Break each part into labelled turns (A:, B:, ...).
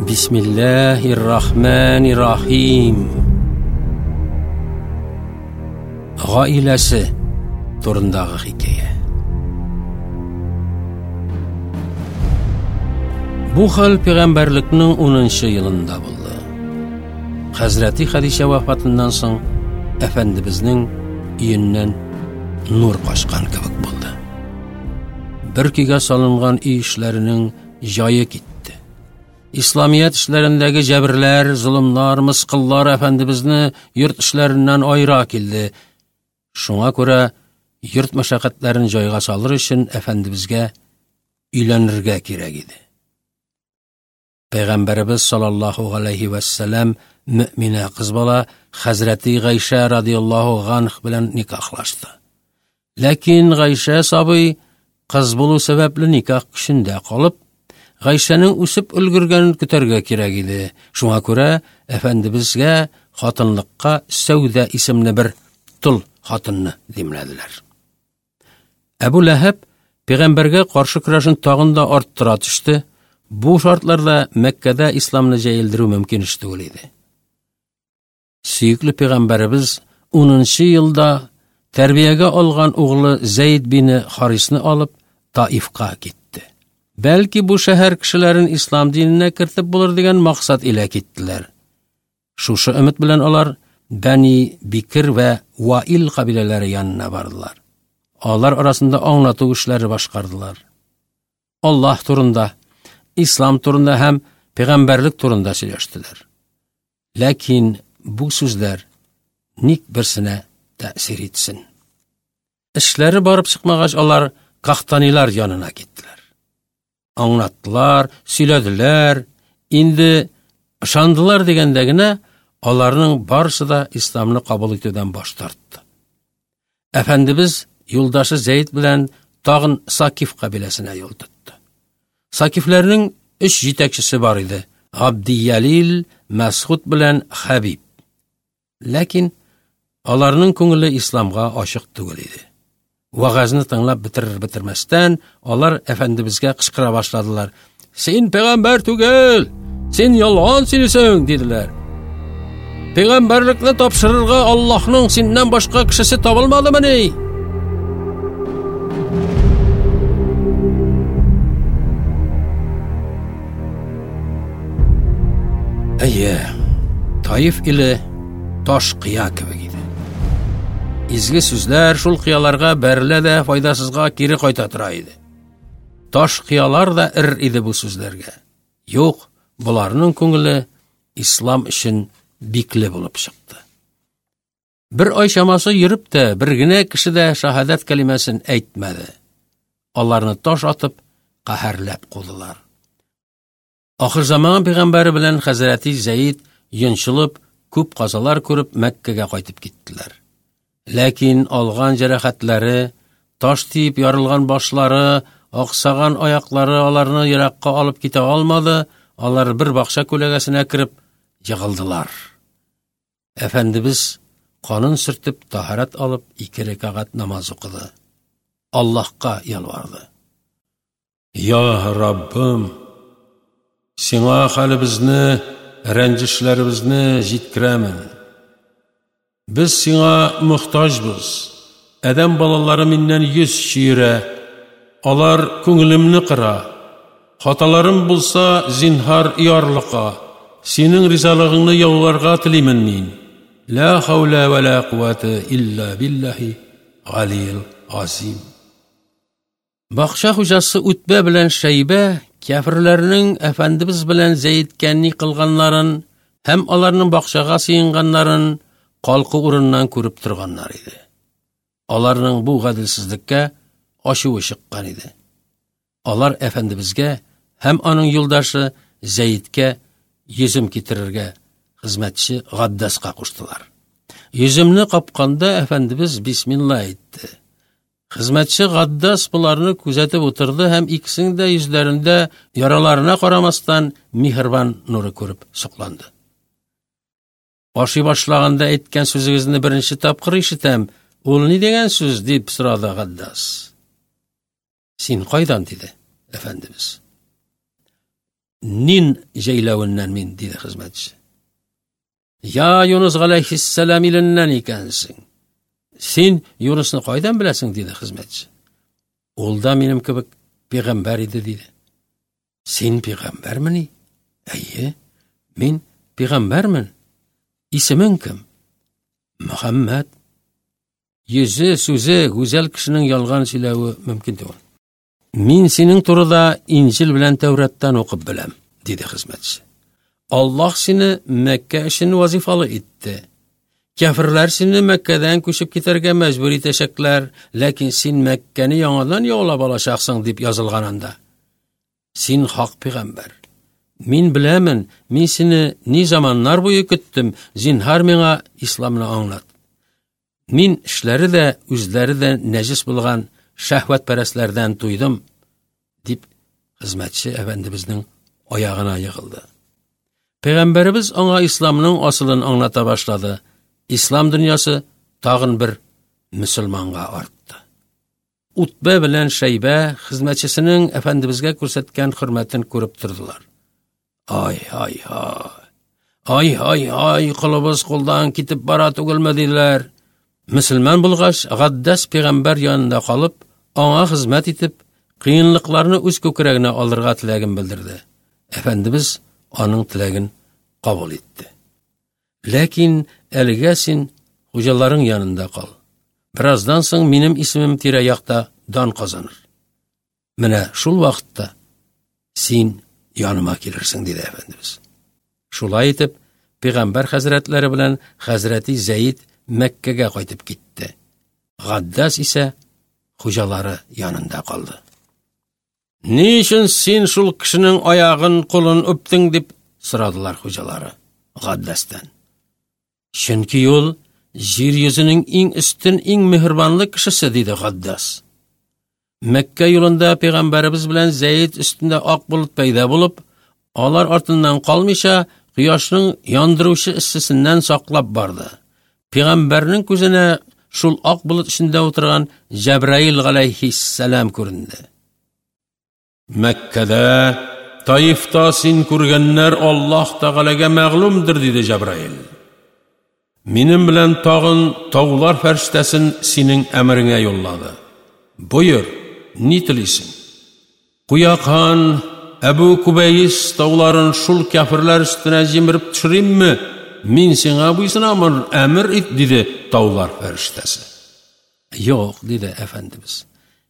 A: Бисмиллаһир-рахманир-рахим. Гаиләсе турындагы хикәя. Бу хәл пәйгамбәрлекнең 10 елында булды. Хәзрәти Хәдичә вафатыннан соң әфәндебезнең өеннән нур качкан кебек булды. Бер көйгә салынган өй эшләренең җае китте. Исламият эшләрендәге җәберләр, золымнар, мыскыллар әфәндебезне йорт эшләреннән аера килде. Шуңа күрә йорт мәшәкатьләрен җайга салыр өчен әфәндебезгә өйләнергә кирәк иде. Пәйгамбәребез саллаллаһу галәйһи вәссәлам мөэминә кыз бала хәзрәти Гайшә радиаллаһу ганх белән никахлашты. Ләкин Гайшә сабый кыз булу сәбәпле никах көчендә калып, Гайшәнең үсеп өлгергәнен көтәргә кирәк иде. Шуңа күрә әфәндебезгә хатынлыкка Сәүдә исемле бер тол хатынны димләделәр. Әбу Ләһәб пәйгамбәргә каршы көрәшен тагын да арттыра төште. Бу шартларда Мәккәдә исламны җәелдерү мөмкин эш түгел иде. Сөекле пәйгамбәребез 10 елда тәрбиягә алган углы Зәйд бине Харисны алып Таифка китте. Бәлки бу шәһәр кешеләрен ислам диненә кертеп булыр дигән максат илә киттеләр. Шушы өмет белән алар Бәни Бикер вә Ваил кабиләләре янына бардылар. Алар арасында аңлату эшләре башкардылар. Аллаһ турында, ислам турында һәм пәйгамбәрлек турында сөйләштеләр. Ләкин бу сүзләр ник берсенә тәэсир итсен? Эшләре барып чыкмагач, алар Кахтанилар янына киттеләр. Аңлаттылар, сөйләделәр. Инде ышандылар дигәндә генә аларның барысы да исламны кабул итүдән баш тартты. Әфәндебез юлдашы Зәйд белән тагын Сакиф кабиләсенә юл тотты. Сакифләрнең өч җитәкчесе бар иде: Габдиялил, Мәсхуд белән Хәбиб. Ләкин аларның күңеле исламга ачык түгел иде. Вәгазьне тыңлап бетерер бетермәстән, алар әфәндебезгә кычкыра башладылар. Син пәйгамбәр түгел, син ялган сөйлисең, диделәр. Пәйгамбәрлекне тапшырырга Аллаһның синнән башка кешесе табылмадымыни? Әйе, Таиф иле таш кыя кебек иде. Изге сүзләр шул кыяларга бәрелә дә файдасызга кире кайта тора иде. Таш кыялар да эр иде бу сүзләргә. Юк, боларның күңеле ислам өчен бикле булып чыкты. Бер ай чамасы йөреп тә, бер генә кеше дә шаһадәт кәлимәсен әйтмәде. Аларны таш атып, каһәрләп кудылар. Ахырзаман пәйгамбәре белән хәзрәти Зәид йончылып, күп казалар күреп Мәккәгә кайтып киттеләр. Ләкин алган җәрәхәтләре, таш тиеп ярылган башлары, аксаган аяклары аларны еракка алып китә алмады, алар бер бакча күләгәсенә кереп егылдылар. Әфәндебез канын сөртеп, таһарат алып, ике рәкәгать намаз укыды. Аллаһка ялварды. Я Раббым, сиңа хәлебезне, рәнҗешләребезне җиткерәмен. Без сиңа мохтаҗбыз. Адәм балалары миннән йөз чөерә. Алар күңелемне кыра. Хаталарым булса, зинһар ярлыка. Синең ризалыгыңны яуларга телимен мин. Ла хәүлә вә ла куәтә илля биллаһи галиел азим. Бакча хуҗасы Үтбә белән Шәйбә кяферләрнең әфәндебез белән Зәедкә ни кылганнарын һәм аларның бакчага сыенганнарын калку урыннан күреп торганнар иде. Аларның бу гаделсезлеккә ачуы чыккан иде. Алар әфәндебезгә һәм аның юлдашы Зәедкә йөзем китерергә хезмәтче Габдаска куштылар. Йөземне капканда әфәндебез бисмилла әйтте. Хезмәтче Гаддас боларны күзәтеп утырды һәм икесенең дә йөзләрендә яраларына карамастан миһербан нуры күреп сокланды. Ашый башлаганда әйткән сүзегезне беренче тапкыр ишетәм. Ул ни дигән сүз? дип сорады Гаддас. Син кайдан? диде әфәндебез. Нин җәйләвеннән мин, диде хезмәтче. Я Юнус галәйһиссәлам иленнән икәнсең. Син Юнусны кайдан беләсең, диде хезмәтче. Ул да минем кебек пәйгамбәр иде, диде. Син пәйгамбәрмени? Әйе, мин пәйгамбәрмен. Исемең кем? Мөхәммәд. Йөзе, сүзе гүзәл кешенең ялган сөйләве мөмкин түгел. Мин синең турыда Инҗил белән Тәүраттан укып беләм, диде хезмәтче. Аллаһ сине Мәккә өчен вазифалы итте. Кяферләр сине Мәккәдән күчеп китәргә мәҗбүр итәчәкләр, ләкин син Мәккәне яңадан яулап алачаксың, дип язылган анда. Син хак пәйгамбәр. Мин беләмен, мин сине ни заманнар буе көттем, зинһар миңа исламны аңлат. Мин эшләре дә, үзләре дә нәҗес булган шәһвәтпәрәсләрдән туйдым, дип хезмәтче әфәндебезнең аягына егылды. Пәйгамбәребез аңа исламның асылын аңлата башлады. Ислам дөньясы тагын бер мөселманга артты. Утбә белән Шәйбә хезмәтчесенең әфәндебезгә күрсәткән хөрмәтен күреп тордылар. Ай, ай, ай. Ай, ай, ай, колыбыз кулдан китеп бара түгелме, диделәр. Мөселман булгач, Гаддәс пәйгамбәр янында калып, аңа хезмәт итеп, кыенлыкларны үз күкрәгенә алырга теләген белдерде. Әфәндебез аның теләген кабул итте. Ләкин әлегә син хуҗаларың янында кал. Бераздан соң минем исемем тирә-якта дан казаныр. Менә шул вакытта син яныма килерсең, диде Әфәндебез. Шулай итеп, пәйгамбәр хәзрәтләре белән хәзрәти Зәид Мәккәгә кайтып китте. Гаддас исә хуҗалары янында калды. Ни өчен син шул кешенең аягын, кулын үптең дип сорадылар хуҗалары Гаддәстән. Чөнки ул җир йөзенең иң өстен, иң мөһербанлы кешесе, диде Гаддәс. Мәккә юлында пәйгамбәребез белән Зәйд өстендә ак болыт пәйда булып, алар артыннан калмыйча, кояшның яндыручы эссесеннән саклап барды. Пәйгамбәрнең күзенә шул ак болыт эчендә утырган Җәбраил галәйһиссәлам күренде. Мәккәдә, Таифта син күргәннәр Аллаһ Тәгаләгә мәгълүмдер, диде Җәбраил. Минем белән тагын таулар фәрештәсен синең әмереңә юллады. Боер, ни телисең? Куякан, Әбү Күбәйс тауларын шул кяферләр өстенә җимереп төшеримме? Мин сиңа буйсынамын, әмер ит, диде таулар фәрештәсе. Юк, диде әфәндебез.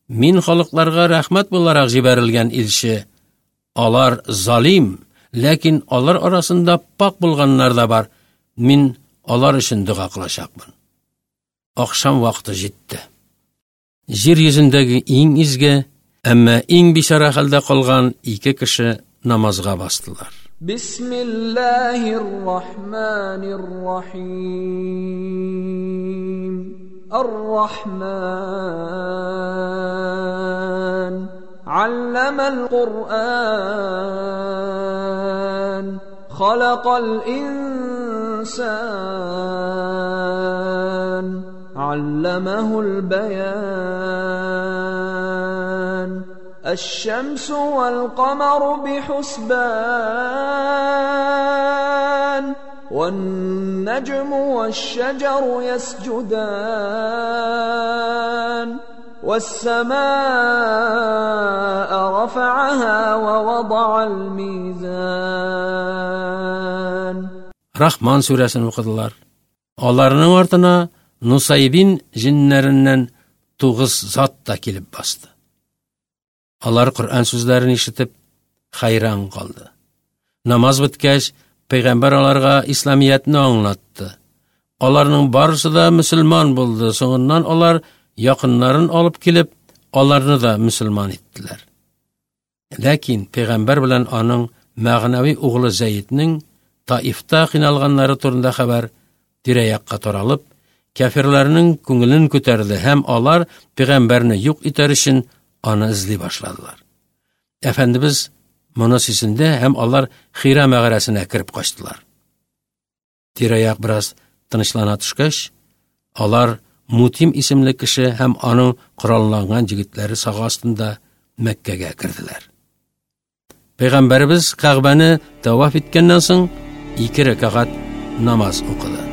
A: Мин халыкларга рәхмәт буларак җибәрелгән илче. Алар залим, ләкин алар арасында пак булганнар да бар. Мин алар өчен дога кылачакмын. Ахшам вакыты җитте. Җир йөзендәге иң изге, әмма иң бичара хәлдә калган ике кеше намазга бастылар.
B: Бисмиллаһир рахманир рахим. Ар-Рахман. Алламал Куръан. Халакал инсан. Алламахул баян. الشمس والقمر بحسبان والنجم والشجر يسجدان والسماء رفعها ووضع الميزان
A: Рахман сүрәсен укыдылар. Аларның артына Нусайбин җиннәреннән тугыз зат та килеп басты. Алар Коръән сүзләрен ишетеп, хайран калды. Намаз беткәч, пәйгамбәр аларга исламиятне аңлатты. Аларның барысы да мөселман булды. Соңыннан алар якыннарын алып килеп, аларны да мөселман иттеләр. Ләкин пәйгамбәр белән аның мәгънәви углы Зәйднең Таифта кыйналганнары турында хәбәр тирә-якка таралып, кяферләрнең күңелен күтәрде һәм алар пәйгамбәрне юк итәр өчен аны эзли башладылар. Әфәндебез моны сизенде һәм алар Хира мәгарәсенә кереп качтылар. Тирә-як бераз тынычлана төшкәч, алар Мутим исемле кеше һәм аның коралланган җегетләре сагы астында Мәккәгә керделәр. Пәйгамбәребез Кәгъбәне тәваф иткәннән соң ике рәкәгать намаз укыды.